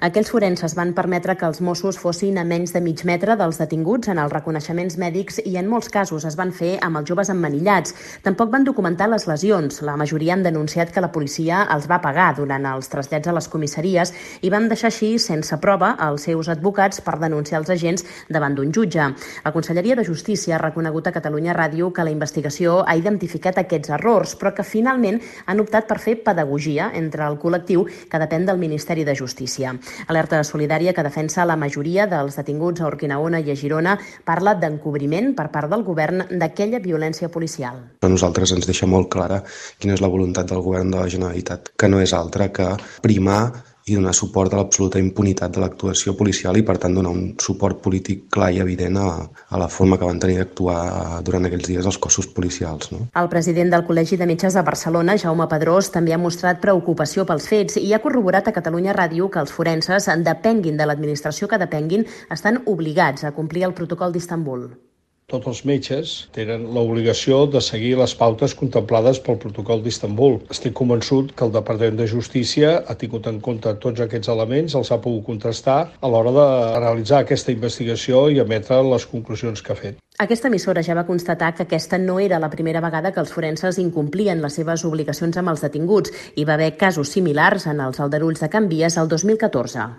Aquells forenses van permetre que els Mossos fossin a menys de mig metre dels detinguts en els reconeixements mèdics i en molts casos es van fer amb els joves emmanillats. Tampoc van documentar les lesions. La majoria han denunciat que la policia els va pagar durant els trasllats a les comissaries i van deixar així sense prova els seus advocats per denunciar els agents davant d'un jutge. La Conselleria de Justícia ha reconegut a Catalunya Ràdio que la investigació ha identificat aquests errors, però que finalment han optat per fer pedagogia entre el col·lectiu que depèn del Ministeri de Justícia. Alerta Solidària, que defensa la majoria dels detinguts a Urquinaona i a Girona, parla d'encobriment per part del govern d'aquella violència policial. A nosaltres ens deixa molt clara quina és la voluntat del govern de la Generalitat, que no és altra que primar i donar suport a l'absoluta impunitat de l'actuació policial i, per tant, donar un suport polític clar i evident a la forma que van tenir d'actuar durant aquells dies els cossos policials. No? El president del Col·legi de Metges de Barcelona, Jaume Pedrós, també ha mostrat preocupació pels fets i ha corroborat a Catalunya Ràdio que els forenses, depenguin de l'administració que depenguin, estan obligats a complir el protocol d'Istanbul. Tots els metges tenen l'obligació de seguir les pautes contemplades pel protocol d'Istanbul. Estic convençut que el Departament de Justícia ha tingut en compte tots aquests elements, els ha pogut contrastar a l'hora de realitzar aquesta investigació i emetre les conclusions que ha fet. Aquesta emissora ja va constatar que aquesta no era la primera vegada que els forenses incomplien les seves obligacions amb els detinguts. Hi va haver casos similars en els aldarulls de Can Vies el 2014.